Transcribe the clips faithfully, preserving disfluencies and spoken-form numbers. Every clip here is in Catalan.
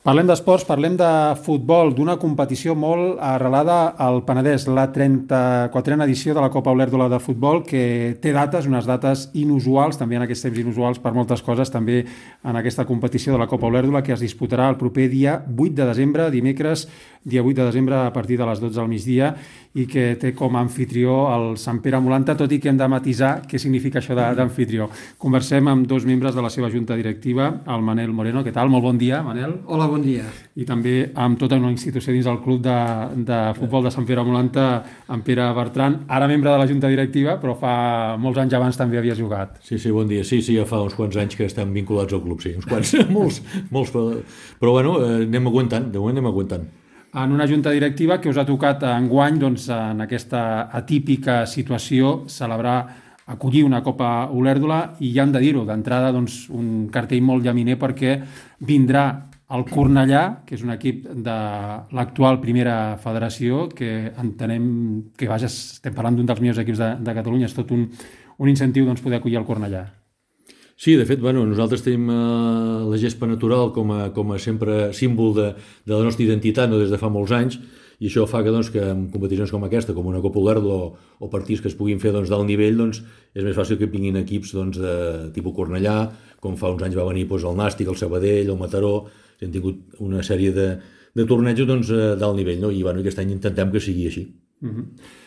Parlem d'esports, parlem de futbol, d'una competició molt arrelada al Penedès, la trenta-quatrena edició de la Copa Olèrdola de futbol, que té dates, unes dates inusuals, també en aquests temps inusuals per moltes coses, també en aquesta competició de la Copa Olèrdola, que es disputarà el proper dia vuit de desembre, dimecres, dia vuit de desembre, a partir de les dotze del migdia, i que té com a anfitrió el Sant Pere Molanta, tot i que hem de matisar què significa això d'anfitrió. Conversem amb dos membres de la seva junta directiva, el Manel Moreno. Què tal? Molt bon dia, Manel. Hola, bon dia. I també amb tota una institució dins del club de, de futbol de Sant Pere Molanta, en Pere Bertran, ara membre de la junta directiva, però fa molts anys abans també havia jugat. Sí, sí, bon dia. Sí, sí, ja fa uns quants anys que estem vinculats al club, sí, uns quants, molts, molts, però bueno, anem aguantant, de moment anem aguantant. En una junta directiva que us ha tocat enguany, doncs, en aquesta atípica situació, celebrar, acollir una Copa Olèrdola, i ja hem de dir-ho, d'entrada, doncs, un cartell molt llaminer, perquè vindrà el Cornellà, que és un equip de l'actual primera federació, que entenem que, vaja, estem parlant d'un dels millors equips de, de Catalunya, és tot un, un incentiu, doncs, poder acollir el Cornellà. Sí, de fet, bueno, nosaltres tenim eh, la gespa natural com a, com a sempre símbol de, de la nostra identitat, no, des de fa molts anys, i això fa que, doncs, que en competicions com aquesta, com una Copa Olèrdola o, o partits que es puguin fer, doncs, d'alt nivell, doncs, és més fàcil que vinguin equips, doncs, de tipus Cornellà, com fa uns anys va venir, doncs, el Nàstic, el Sabadell, el Mataró. Hem tingut una sèrie de, de tornejos, doncs, d'alt nivell, no? I, bueno, aquest any intentem que sigui així. Mm-hmm.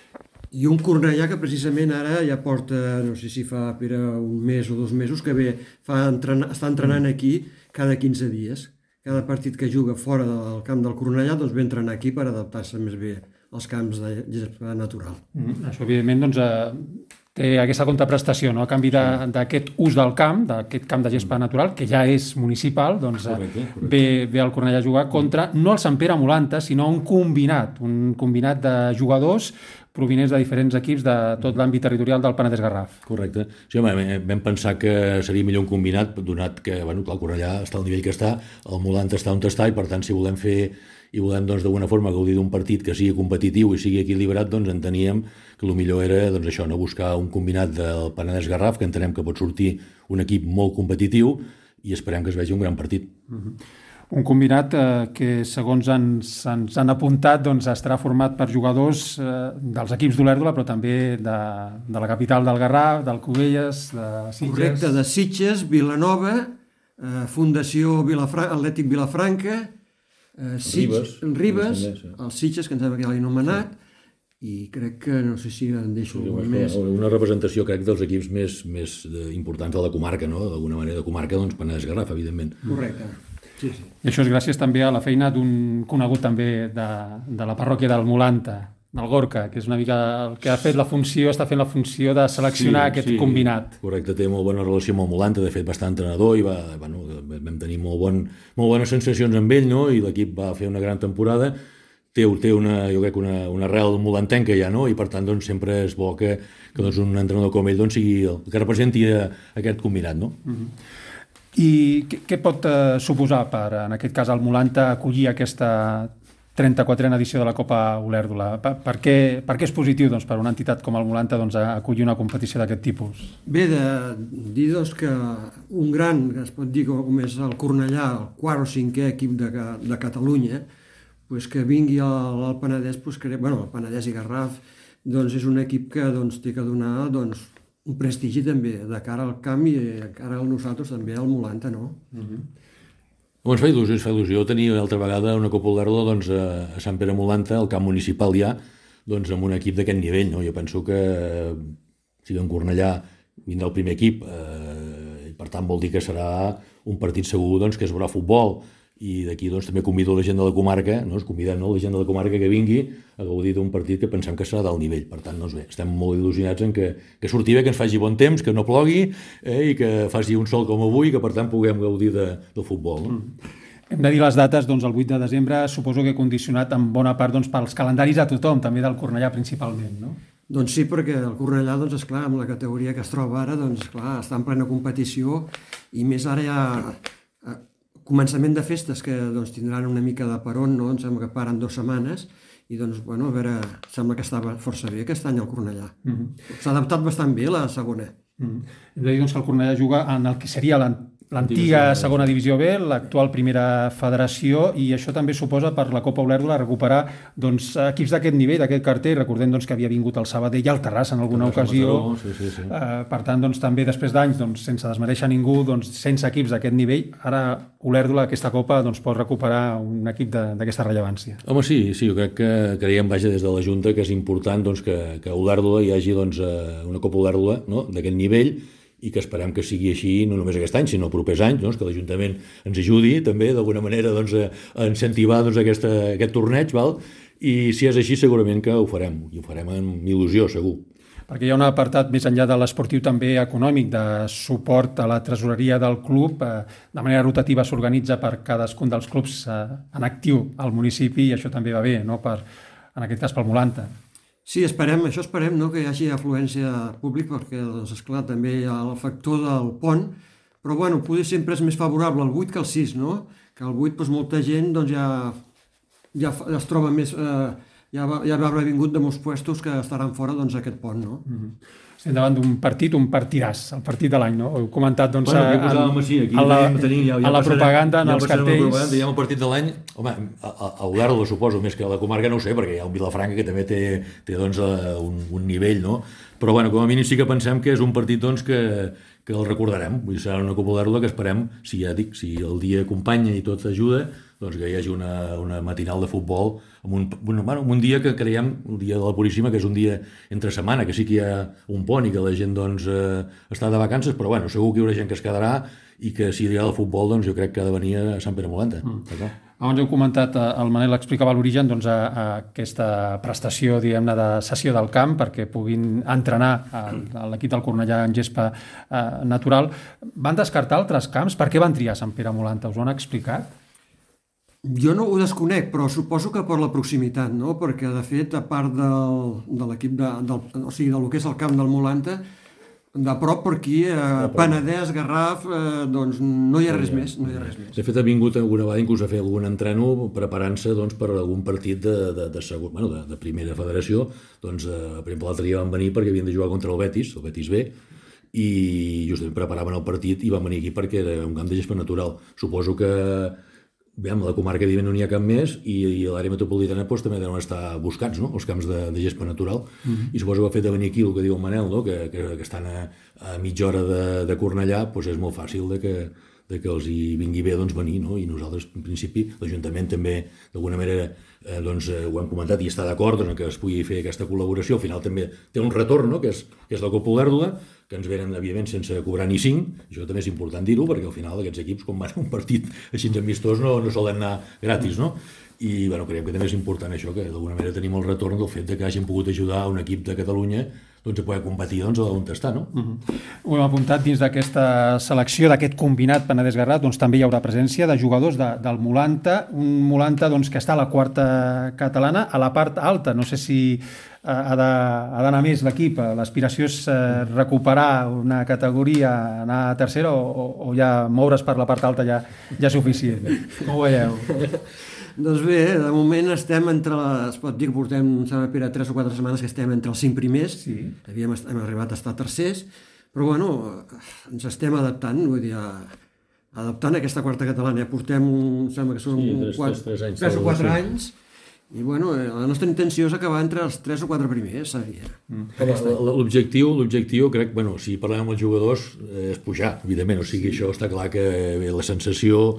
I un Cornellà que precisament ara ja porta, no sé si fa, Pere, un mes o dos mesos, que ve, fa entrenar, està entrenant aquí cada quinze dies. Cada partit que juga fora del camp del Cornellà, doncs ve entrenar aquí per adaptar-se més bé als camps de gespa natural. Mm, això, evidentment, doncs, eh, té aquesta contraprestació, no? A canvi d'aquest ús del camp, d'aquest camp de gespa natural, que ja és municipal, doncs correcte, correcte. Ve, ve al Cornellà a jugar contra, no el Sant Pere Molanta, sinó un combinat, un combinat de jugadors provinents de diferents equips de tot l'àmbit territorial del Penedès Garraf. Correcte. Sí, home, vam pensar que seria millor un combinat, donat que, bueno, que el Cornellà està al nivell que està, el Molanta està on està, i per tant, si volem fer i volem, doncs, d'alguna forma gaudir d'un partit que sigui competitiu i sigui equilibrat, doncs enteníem que el millor era, doncs, això, no, buscar un combinat del Penedès Garraf, que entenem que pot sortir un equip molt competitiu, i esperem que es vegi un gran partit. Mm-hmm. Un combinat eh, que, segons ens, ens han apuntat, doncs, estarà format per jugadors eh, dels equips d'Olèrdola, però també de, de la capital del Garraf, del Cubelles, de Sitges... Correcte, de Sitges, Vilanova, eh, Fundació Vilafra... Atlètic Vilafranca, eh, Sitges, Ribes, Ribes sí. Els Sitges, que em sembla que ja l'he anomenat, sí. I crec que, no sé si en deixo sí, una, més... Una representació, crec, dels equips més, més importants de la comarca, no? D'alguna manera de comarca, doncs, Penedès Garraf, evidentment. Correcte. Sí, sí. I això és gràcies també a la feina d'un conegut també de, de la parròquia del Molanta, del Gorka, que és una mica el que ha fet la funció, està fent la funció de seleccionar sí, aquest sí, combinat. Correcte, té molt bona relació amb el Molanta, de fet va estar entrenador i va, bueno, vam tenir molt, bon, molt bones sensacions amb ell, no? I l'equip va fer una gran temporada. Té, té una, jo crec, una, una arrel molantenca ja, no? I per tant, doncs, sempre és bo que, que doncs, un entrenador com ell, doncs, sigui el que representi aquest combinat, no? Mm-hmm. I què, què pot eh, suposar per, en aquest cas, el Molanta acollir aquesta trenta-quatrena edició de la Copa Olèrdola? Per, per, què, per què és positiu, doncs, per una entitat com el Molanta, doncs, acollir una competició d'aquest tipus? Bé, de dir, doncs, que un gran, que es pot dir com és el Cornellà, el quart o cinquè equip de, de Catalunya, pues, que vingui al, al Penedès, pues, que, bueno, el Penedès i Garraf, doncs és un equip que, doncs, té que donar, doncs, un prestigi també de cara al camp i de cara a nosaltres també al Molanta, no? Mm-hmm. Ens fa il·lusió, ens fa il·lusió tenir altra vegada una Copa Olèrdola, doncs, a Sant Pere Molanta, al camp municipal ja, doncs, amb un equip d'aquest nivell, no? Jo penso que si en Cornellà vindrà el primer equip, eh, i per tant vol dir que serà un partit segur, doncs, que es veurà futbol. I d'aquí, doncs, també convido la gent de la comarca, no? Es convidem, no? La gent de la comarca que vingui a gaudir d'un partit que pensem que serà d'alt nivell. Per tant, doncs bé, estem molt il·lusionats en que, que surti bé, que ens faci bon temps, que no plogui, eh? I que faci un sol com avui, que per tant puguem gaudir de, del futbol. No? Mm. Hem de dir les dates, doncs, el vuit de desembre, suposo que condicionat en bona part, doncs, pels calendaris a tothom, també del Cornellà principalment, no? Doncs sí, perquè el Cornellà, doncs, esclar, amb la categoria que es troba ara, doncs, esclar, està en plena competició, i més ara ja... començament de festes que, doncs, tindran una mica de peron, no? Em sembla que paren dues setmanes i, doncs, bueno, a veure, sembla que estava força bé aquest any el Cornellà. Mm-hmm. S'ha adaptat bastant bé la segona. Mm-hmm. Hem de dir, doncs, que el Cornellà juga en el que seria l'antiga segona divisió B, l'actual primera federació, i això també suposa per la Copa Olèrdola recuperar doncs, equips d'aquest nivell, d'aquest cartell. Recordem doncs, que havia vingut el Sabadell i el Terrassa en alguna Terrassa, ocasió. Mataró, sí, sí, sí. Eh, per tant, doncs, també després d'anys, doncs, sense desmereixer ningú, doncs, sense equips d'aquest nivell, ara Olèrdola, aquesta Copa, doncs, pot recuperar un equip d'aquesta rellevància. Home, sí, sí, jo crec que creiem, vaja, des de la Junta, que és important doncs, que, que a Olèrdola hi hagi doncs, una Copa Olèrdola, no?, d'aquest nivell, i que esperem que sigui així no només aquest any, sinó els propers anys, doncs, que l'Ajuntament ens ajudi també d'alguna manera doncs, a incentivar doncs, aquesta, aquest torneig, val? I si és així segurament que ho farem, i ho farem amb il·lusió, segur. Perquè hi ha un apartat més enllà de l'esportiu també econòmic, de suport a la tresoreria del club. De manera rotativa s'organitza per cadascun dels clubs en actiu al municipi, i això també va bé, no? Per, en aquest cas pel Molanta. Sí, esperem, això esperem, no?, que hi hagi afluència pública, perquè, doncs, esclar, també hi ha el factor del pont, però, bueno, potser sempre és més favorable el vuit que el sis, no? Que el vuit, doncs, molta gent, doncs, ja, ja, ja es troba més... Eh, ja, va, ja va haver vingut de molts puestos que estaran fora, doncs, aquest pont, no? Mm-hmm. Estem davant d'un partit, un partidàs, el partit de l'any, no? Heu comentat, doncs, bueno, en, posàvem, sí, aquí a la, tenir, ja, ja a la passarem, propaganda, en ja els cartells... Propaganda, ja el partit de l'any, home, a, a Olèrdola suposo, més que a la comarca no ho sé, perquè hi ha un Vilafranca que també té, té doncs, un, un nivell, no? Però, bueno, com a mínim sí que pensem que és un partit, doncs, que, que el recordarem. Vull dir, serà una Copa Olèrdola que esperem, si ja dic, si el dia acompanya i tot ajuda, doncs que hi hagi una, una matinal de futbol amb un, bueno, amb un dia que creiem, el dia de la Puríssima, que és un dia entre setmana, que sí que hi ha un pont i que la gent doncs, eh, està de vacances, però bueno, segur que hi haurà gent que es quedarà i que si hi ha el futbol, doncs jo crec que ha de venir a Sant Pere Molanta. Mm. Abans heu comentat, el Manel explicava l'origen doncs, a, a aquesta prestació, diguem-ne, de sessió del camp perquè puguin entrenar a l'equip del Cornellà en gespa eh, natural. Van descartar altres camps? Per què van triar Sant Pere Molanta? Us ho han explicat? Jo no ho desconec, però suposo que per la proximitat, no? Perquè, de fet, a part del, de l'equip, de, del, o sigui, del que és el camp del Molanta, de prop per aquí, eh, Penedès, Garraf, eh, doncs no hi ha res més, no hi ha res més. De fet, ha vingut alguna vegada inclús a fer algun entreno preparant-se doncs, per algun partit de, de, de, segon, bueno, de, de primera federació. Doncs, eh, per exemple, l'altre dia van venir perquè havien de jugar contra el Betis, el Betis B, i justament preparaven el partit i van venir aquí perquè era un camp de gespa natural. Suposo que bé, a la comarca no n'hi ha cap més i, i a l'àrea metropolitana doncs, també deuen estar buscats, no?, els camps de, de gespa natural. Mm-hmm. I suposo que el fet de venir aquí, el que diu el Manel, no?, que, que, que estan a, a mitja hora de, de Cornellà, doncs és molt fàcil de que, de que els hi vingui bé doncs, venir, no? I nosaltres, en principi, l'Ajuntament també, d'alguna manera, eh, doncs, eh, ho hem comentat i està d'acord en que es pugui fer aquesta col·laboració. Al final també té un retorn, no?, que és, que és la Copa Olèrdola, que ens venen, evidentment, sense cobrar ni cinc. Això també és important dir-ho, perquè al final aquests equips, quan van a un partit així amistós, no, no solen anar gratis, no? I bueno, creiem que també és important això, que d'alguna manera tenim el retorn del fet de que hagin pogut ajudar un equip de Catalunya doncs, a poder competir doncs, on està, no? Uh-huh. Ho hem apuntat dins d'aquesta selecció, d'aquest combinat Penedès-Garraf, doncs també hi haurà presència de jugadors de, del Molanta, un Molanta doncs, que està a la quarta catalana, a la part alta. No sé si ha d'anar més l'equip. L'aspiració és eh, recuperar una categoria, anar a tercera, o, o ja moure's per la part alta ja, ja és suficient. Com ho veieu? Doncs bé, de moment estem entre les... Es pot dir que portem, sembla, Pere, tres o quatre setmanes que estem entre els cinc primers. Sí. Havíem hem arribat a estar tercers, però bueno, ens estem adaptant, vull dir, adaptant a aquesta quarta catalana. Ja portem, sembla que són sí, tres, quatre, tres, tres, anys, tres o quatre sí. anys, i bueno, la nostra intenció és acabar entre els tres o quatre primers, sabia. Mm. L'objectiu, l'objectiu, crec, bueno, si parlem amb els jugadors, és pujar, evidentment, o sigui, sí. Això està clar que bé, la sensació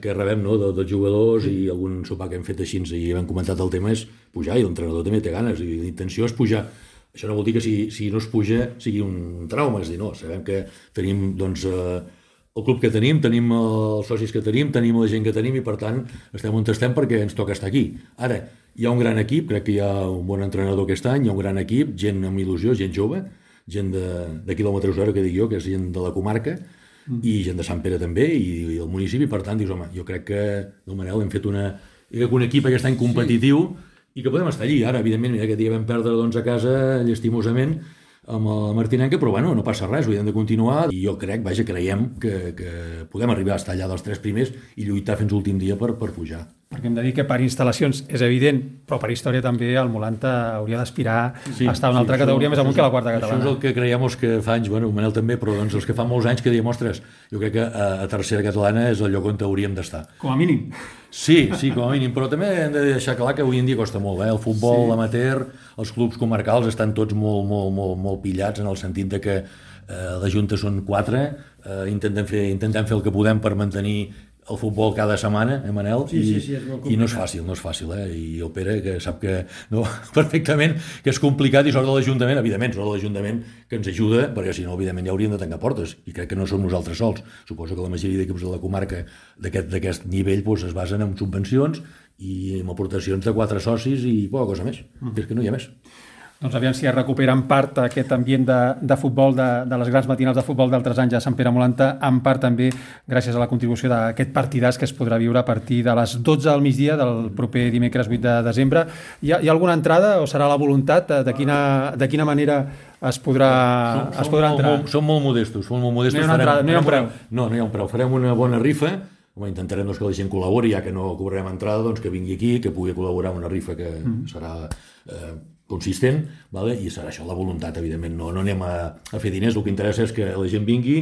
que rebem, no, de, dels jugadors i algun sopar que hem fet així i hem comentat el tema és pujar, i l'entrenador també té ganes i l'intenció és pujar. Això no vol dir que si, si no es puja sigui un trauma, és dir, no, sabem que tenim doncs, eh, el club que tenim, tenim els socis que tenim, tenim la gent que tenim i per tant estem on estem perquè ens toca estar aquí. Ara, hi ha un gran equip, crec que hi ha un bon entrenador aquest any, hi ha un gran equip, gent amb il·lusió, gent jove, gent de, de quilòmetre zero, que dic jo, que és gent de la comarca, i gent de Sant Pere també, i, i el municipi, per tant, dius, home, jo crec que, del Manel, hem fet una, un equip aquest any competitiu sí. I que podem estar allí. Ara, evidentment, mira, aquest dia vam perdre doncs, a casa, llastimosament, amb el Martinenca, però bueno, no passa res, ho hem de continuar, i jo crec, vaja, creiem que, que podem arribar a estar allà dels tres primers i lluitar fins l'últim dia per, per pujar. perquè hem de dir que per instal·lacions és evident, però per història també el Molanta hauria d'aspirar sí, a estar en una altra sí, categoria això, més amunt que la quarta catalana. Això és el que creiem els que fa anys, bueno, Manel també, però doncs els que fa molts anys que diem, ostres, jo crec que a, a tercera catalana és el lloc on hauríem d'estar. Com a mínim. Sí, sí, com a mínim, però també hem de deixar clar que avui en dia costa molt, eh? El futbol sí. amateur, els clubs comarcals estan tots molt, molt, molt, molt pillats en el sentit de que eh, la Junta són quatre, eh, intentem, fer, intentem fer el que podem per mantenir el futbol cada setmana, eh, Manel? Sí, sí, sí, és molt complicat. I no és fàcil, no és fàcil, eh? I el Pere, que sap que no, perfectament que és complicat i sort de l'Ajuntament, evidentment, sort de l'Ajuntament que ens ajuda, perquè si no, evidentment, ja hauríem de tancar portes, i crec que no som nosaltres sols. Suposo que la majoria d'equips de la comarca d'aquest nivell doncs, es basen en subvencions i en aportacions de quatre socis i poca cosa més, mm. és que no hi ha més. Doncs aviam si es recupera en part aquest ambient de, de futbol, de, de les grans matinals de futbol d'altres anys a Sant Pere Molanta, en part també gràcies a la contribució d'aquest partidàs que es podrà viure a partir de les dotze del migdia del proper dimecres vuit de desembre. Hi ha, hi ha alguna entrada o serà la voluntat? De quina, de quina manera es podrà, som, es podrà entrar? Molt, som molt modestos. Som molt modestos. No hi ha una entrada, no hi ha un preu. No, no hi ha un preu. Farem una bona rifa. Home, intentarem doncs, que la gent col·labori, ja que no cobrarem entrada, doncs, que vingui aquí, que pugui col·laborar en una rifa que mm. serà eh, consistent, vale? I serà això la voluntat, evidentment. No, no anem a, a fer diners, el que interessa és que la gent vingui,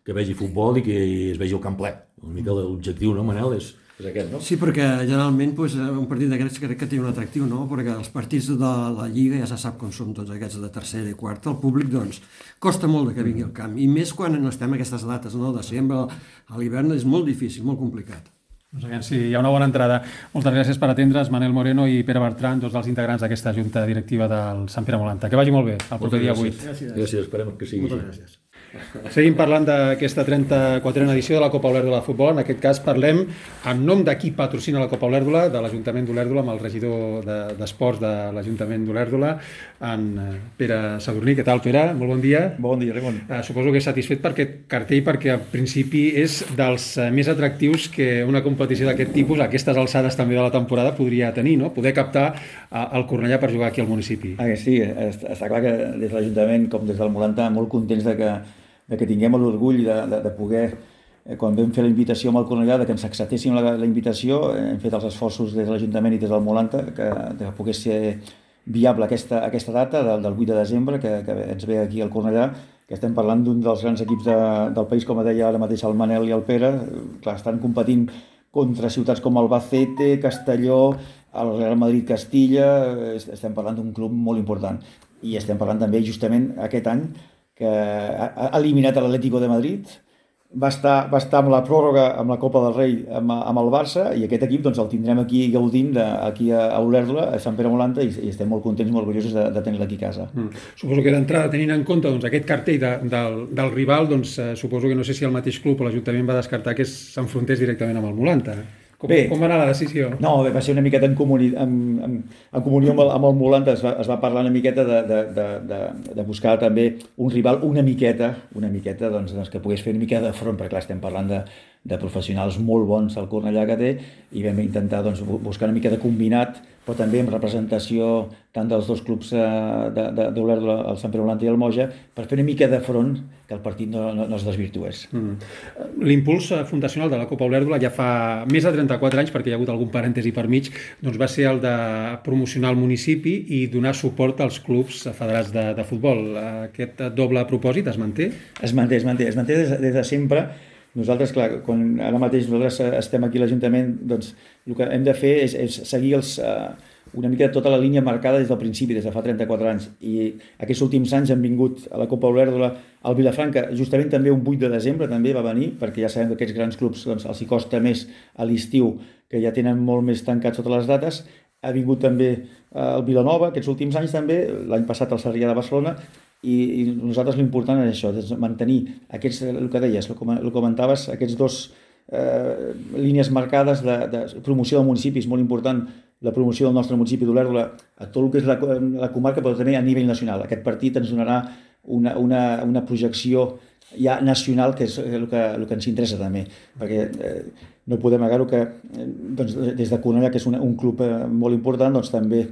que vegi futbol i que es vegi el camp ple. Una mica l'objectiu, no, Manel? És, és aquest, no? Sí, perquè generalment pues, un partit d'aquests crec que té un atractiu, no? Perquè els partits de la Lliga ja se sap com són tots aquests de tercera i quarta, el públic doncs costa molt que vingui al camp, i més quan no estem a aquestes dates, no? De desembre a l'hivern és molt difícil, molt complicat. Doncs aviam si hi ha una bona entrada. Moltes gràcies per atendre's, Manel Moreno i Pere Bertran, dos dels integrants d'aquesta junta directiva del Sant Pere Molanta. Que vagi molt bé, el proper dia vuit. Gràcies. gràcies, esperem que sigui Moltes gràcies. Seguim parlant d'aquesta trenta-quatrena edició de la Copa Olèrdola de Futbol. En aquest cas parlem en nom de qui patrocina la Copa Olèrdola, de l'Ajuntament d'Olèrdola, amb el regidor d'Esports de, de l'Ajuntament d'Olèrdola, en Pere Sadurní. Què tal, Pere? Molt bon dia. Bon dia, Ramon. Uh, suposo que és satisfet per aquest cartell, perquè al principi és dels uh, més atractius que una competició d'aquest tipus, a aquestes alçades també de la temporada, podria tenir, no? Poder captar uh, el Cornellà per jugar aquí al municipi. Ah, sí, està clar que des de l'Ajuntament com des del Molanta molt contents de que de que tinguem l'orgull de, de, de poder, eh, quan vam fer la invitació amb el Cornellà, de que ens acceptéssim la, la invitació, eh, hem fet els esforços des de l'Ajuntament i des del Molanta, que, de que pogués ser viable aquesta, aquesta data del, del vuit de desembre, que, que ens ve aquí al Cornellà, que estem parlant d'un dels grans equips de, del país, com deia ara mateix el Manel i el Pere. Clar, estan competint contra ciutats com Albacete, Castelló, el Real Madrid-Castilla, estem parlant d'un club molt important. I estem parlant també justament aquest any que ha eliminat l'Atlético de Madrid, va estar, va estar amb la pròrroga amb la Copa del Rei amb, amb el Barça, i aquest equip doncs, el tindrem aquí gaudint de, aquí a Olèrdola, a Sant Pere Molanta, i, i estem molt contents, molt orgullosos de, de tenir-la aquí a casa. Mm. Suposo que d'entrada, tenint en compte doncs, aquest cartell de, del, del rival, doncs, eh, suposo que no sé si el mateix club o l'Ajuntament va descartar que s'enfrontés directament amb el Molanta. Com, Bé, com va anar la decisió? No, va ser una miqueta en, comuni, en, en, en comunió amb el, amb el Molanta, es va, es va parlar una miqueta de, de, de, de, de buscar també un rival una miqueta, una miqueta doncs, doncs, que pogués fer una mica de front, perquè clar, estem parlant de, de professionals molt bons al Cornellà que té, i vam intentar doncs, buscar una mica de combinat, però també amb representació tant dels dos clubs d'Olèrdola, el Sant Pere Molanta i el Moja, per fer una mica de front que el partit no, no, no es desvirtués. Mm. L'impuls fundacional de la Copa Olèrdola ja fa més de trenta-quatre anys, perquè hi ha hagut algun parèntesi per mig, doncs va ser el de promocionar el municipi i donar suport als clubs federats de, de futbol. Aquest doble propòsit es manté? Es manté, es manté, es manté des, des de sempre. Nosaltres, clar, quan ara mateix nosaltres estem aquí a l'Ajuntament, doncs el que hem de fer és, és seguir els, uh, una mica tota la línia marcada des del principi, des de fa trenta-quatre anys. I aquests últims anys han vingut a la Copa Olèrdola al Vilafranca, justament també un vuit de desembre també va venir, perquè ja sabem que aquests grans clubs doncs, els hi costa més a l'estiu, que ja tenen molt més tancats totes les dates. Ha vingut també el Vilanova, aquests últims anys també, l'any passat el Sarrià de Barcelona, i, i nosaltres l'important és això, és mantenir aquests, el que deies, el que comentaves, aquests dos eh, línies marcades de, de promoció del municipi. És molt important la promoció del nostre municipi d'Olèrdola a tot el que és la, la comarca, però també a nivell nacional. Aquest partit ens donarà una, una, una projecció ja nacional, que és el que, el que ens interessa també, perquè eh, no podem negar-ho que eh, doncs, des de Cornellà, que és un, un club eh, molt important, doncs també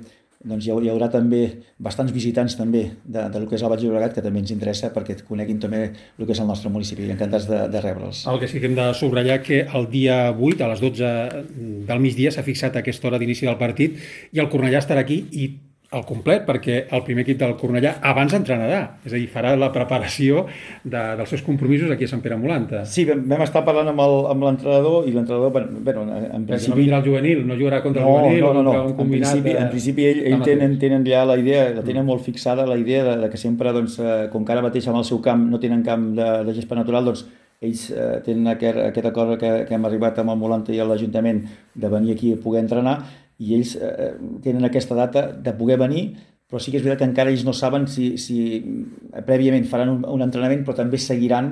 doncs hi haurà, hi haurà també bastants visitants també de, de lo que és el Baix Llobregat, que també ens interessa perquè coneguin també el que és el nostre municipi, i encantats de, de rebre'ls. El que sí que hem de subratllar que el dia vuit, a les dotze del migdia, s'ha fixat aquesta hora d'inici del partit i el Cornellà estarà aquí i al complet, perquè el primer equip del Cornellà abans entrenarà, és a dir, farà la preparació de, dels seus compromisos aquí a Sant Pere Molanta. Sí, vam, vam estar parlant amb el- amb l'entrenador, i l'entrenador, bueno, en No principi... vindrà el juvenil, no jugarà contra No, el juvenil no, o no, no. contra un En combinat... principi, de- en principi ell, ell de tenen, tenen ja la idea, la Mm. tenen molt fixada, la idea de, de que sempre, doncs, eh, com que ara mateix amb el seu camp no tenen camp de, de gespa natural, doncs ells eh, tenen aquest, aquest acord que, que hem arribat amb el Molanta i l'Ajuntament de venir aquí a poder entrenar, i ells eh, tenen aquesta data de poder venir, però sí que és veritat que encara ells no saben si, si prèviament faran un, un entrenament, però també seguiran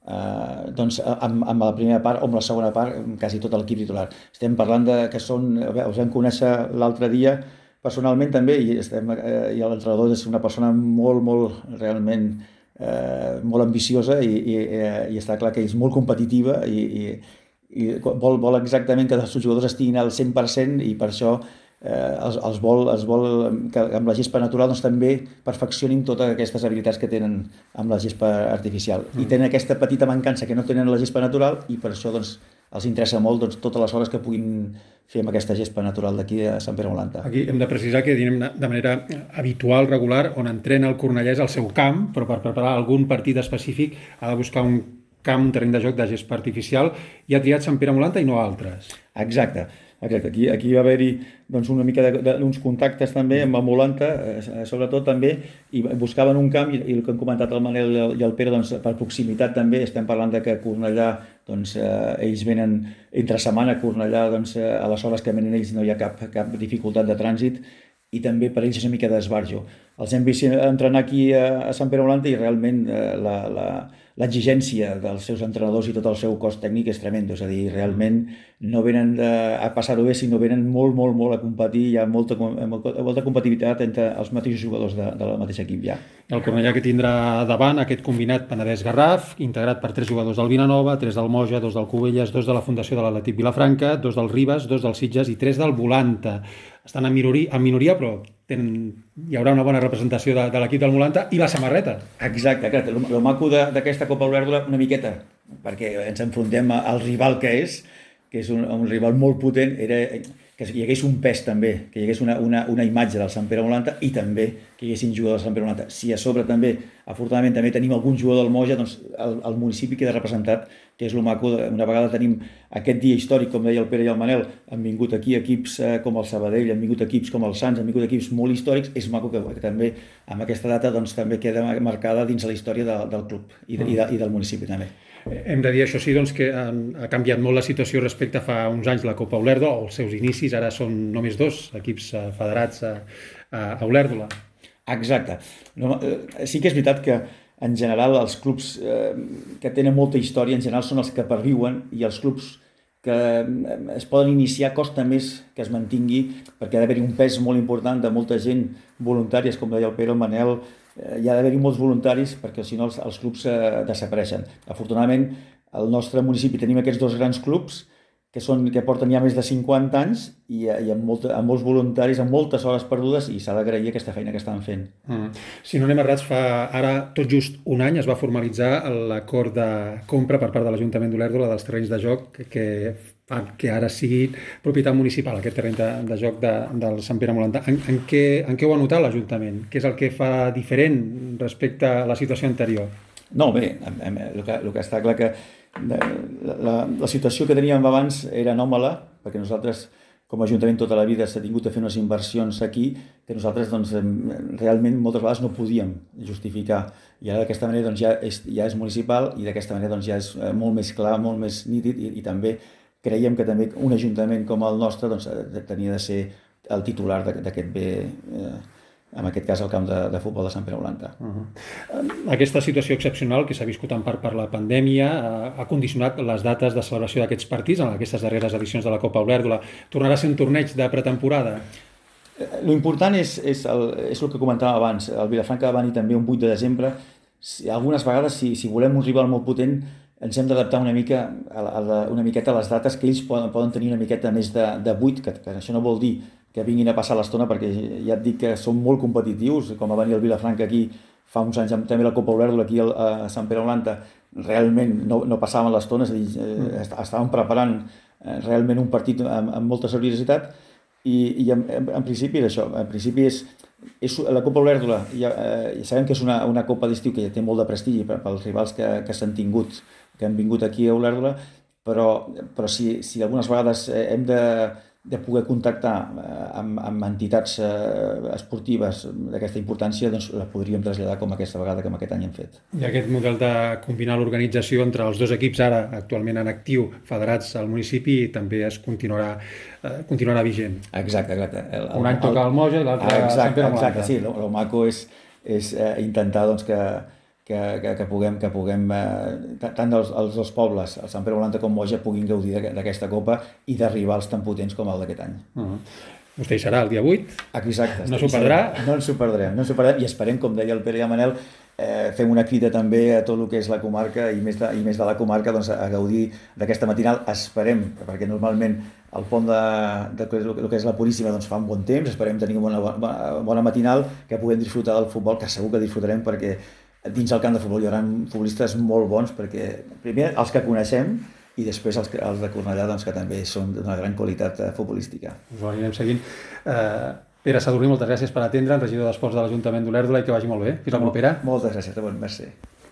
eh, doncs, amb, amb la primera part o amb la segona part, amb quasi tot l'equip titular. Estem parlant de que són, us vam conèixer l'altre dia personalment també, i, estem, eh, i l'entrenador és una persona molt, molt, realment eh, molt ambiciosa, i, i, i està clar que és molt competitiva, i, i, i vol, vol exactament que els seus jugadors estiguin al cent per cent, i per això eh, els, els, vol, els vol que amb la gespa natural doncs, també perfeccionin totes aquestes habilitats que tenen amb la gespa artificial. Mm. I tenen aquesta petita mancança que no tenen la gespa natural, i per això doncs, els interessa molt doncs, totes les hores que puguin fer amb aquesta gespa natural d'aquí a Sant Pere Molanta. Aquí hem de precisar que dinem de manera habitual, regular, on entrena el Cornellà és al seu camp, però per preparar algun partit específic ha de buscar un camp, un terreny de joc de gespa artificial, i ha triat Sant Pere Molanta i no altres. Exacte. Exacte. Aquí, aquí va haver-hi doncs, una mica d'uns contactes també amb el Molanta, eh, sobretot també, i buscaven un camp, i, i el que han comentat el Manel i el, i el Pere, doncs, per proximitat també, estem parlant de que Cornellà, doncs, eh, ells venen entre setmana a Cornellà, doncs, eh, a les hores que venen ells no hi ha cap, cap dificultat de trànsit, i també per ells és una mica d'esbarjo. Els hem vist entrenar aquí a, a Sant Pere Molanta, i realment eh, la, la, l'exigència dels seus entrenadors i tot el seu cos tècnic és tremendo, és a dir, realment no venen de, a passar-ho bé, sinó venen molt, molt, molt a competir, hi ha molta, molta competitivitat entre els mateixos jugadors de, del mateix equip ja. El Cornellà que tindrà davant aquest combinat Penedès-Garraf, integrat per tres jugadors del Vilanova, tres del Moja, dos del Cubelles, dos de la Fundació de l'Atlètic Vilafranca, dos del Ribes, dos del Sitges i tres del Volanta. Estan en minoria, en minoria però tenen, hi haurà una bona representació de, de l'equip del Molanta i la samarreta. Exacte, exacte. El, el maco d'aquesta Copa Olèrdola una miqueta, perquè ens enfrontem al rival que és, que és un, un rival molt potent, era que hi hagués un pes també, que hi hagués una, una, una imatge del Sant Pere Molanta, i també que hi haguessin jugadors del Sant Pere Molanta. Si a sobre també, afortunadament, també tenim algun jugador del Moja, doncs el, el municipi queda representat, que és el maco. Una vegada tenim aquest dia històric, com deia el Pere i el Manel, han vingut aquí equips eh, com el Sabadell, han vingut equips com el Sants, han vingut equips molt històrics, és maco que, que també amb aquesta data doncs, també queda marcada dins la història de, del club i, de, i, de, i del municipi també. Hem de dir, això sí, doncs, que ha canviat molt la situació respecte a fa uns anys la Copa Olèrdola, o els seus inicis, ara són només dos equips federats a, a Olèrdola. Exacte. No, eh, sí que és veritat que en general els clubs eh, que tenen molta història en general són els que perviuen, i els clubs que es poden iniciar costa més que es mantingui, perquè ha d'haver-hi un pes molt important de molta gent voluntàries, com deia el Pere, el Manel, eh, hi ha d'haver-hi molts voluntaris, perquè si no els, els clubs eh, desapareixen. Afortunadament, al nostre municipi tenim aquests dos grans clubs, que, són, que porten ja més de cinquanta anys, i, i amb, molta, amb molts voluntaris, amb moltes hores perdudes, i s'ha d'agrair aquesta feina que estan fent. Mm. Si no anem errats, fa ara tot just un any es va formalitzar l'acord de compra per part de l'Ajuntament d'Olèrdola dels terrenys de joc que, que fan que ara sigui propietat municipal, aquest terreny de, de joc de, del Sant Pere Molanta. En, en, què, en què ho ha notat l'Ajuntament? Què és el que fa diferent respecte a la situació anterior? No, bé, el que, el que està clar que la, la, la situació que teníem abans era anòmala, perquè nosaltres, com a Ajuntament, tota la vida s'ha tingut a fer unes inversions aquí que nosaltres doncs, realment moltes vegades no podíem justificar. I ara d'aquesta manera doncs, ja, és, ja és municipal, i d'aquesta manera doncs, ja és molt més clar, molt més nítid, i, i també creiem que també un ajuntament com el nostre doncs, tenia de ser el titular d'aquest bé, eh, en aquest cas el camp de, de futbol de Sant Pere Molanta. Uh-huh. Aquesta situació excepcional que s'ha viscut en part per la pandèmia uh, ha condicionat les dates de celebració d'aquests partits en aquestes darreres edicions de la Copa Olèrdola. Tornarà a ser un torneig de pretemporada? L'important és, és, el, és el que comentàvem abans. El Vilafranca va venir també un vuit de desembre. Si, algunes vegades, si, si volem un rival molt potent, ens hem d'adaptar una mica a la, a la, una miqueta a les dates, que ells poden, poden tenir una miqueta més de, de vuit, que, que això no vol dir que vinguin a passar l'estona, perquè ja et dic que són molt competitius, com va venir el Vilafranca aquí fa uns anys, també la Copa Olèrdula aquí a Sant Pere Olanta, realment no, no passaven l'estona, és a dir, eh, estaven preparant eh, realment un partit amb, amb molta seriositat, i, i en, en, en principi és això, en principi és, és la Copa Olèrdula, ja, eh, sabem que és una, una copa d'estiu que ja té molt de prestigi pels rivals que, que s'han tingut, que han vingut aquí a Olèrdula, però, però si, si algunes vegades hem de, de poder contactar amb, amb entitats esportives d'aquesta importància, doncs la podríem traslladar com aquesta vegada que aquest any hem fet. I aquest model de combinar l'organització entre els dos equips ara actualment en actiu, federats al municipi, també es continuarà, eh, continuarà vigent. Exacte, exacte. El, el, Un any toca el Moja i l'altre a Sant Pere Olanta. Exacte, sí, el maco és, és eh, intentar doncs, que Que, que, que puguem, que puguem eh, tant els, els dos pobles, el Sant Pere Olanta com Moja, puguin gaudir d'aquesta copa i d'arribar als tan potents com el d'aquest any. Uh-huh. Vostè hi serà el dia vuit? Exacte. No s'ho perdrà? No ens ho perdrem, no ens ho perdrem i esperem, com deia el Pere i el Manel, eh, fem una crida també a tot el que és la comarca i més de, i més de la comarca doncs, a gaudir d'aquesta matinal. Esperem, perquè normalment el pont de, de, de, de, de que és la Puríssima doncs, fa un bon temps, esperem tenir una bona, bona, bona matinal, que puguem disfrutar del futbol, que segur que disfrutarem perquè dins el camp de futbol hi haurà futbolistes molt bons, perquè primer els que coneixem i després els, els de Cornellà, doncs, que també són d'una gran qualitat futbolística. Us ho anirem seguint. Uh, Pere Sadurní, moltes gràcies per atendre'ns, regidor d'Esports de l'Ajuntament d'Olèrdula, i que vagi molt bé. Fins la propera. Moltes gràcies, de bon, merci.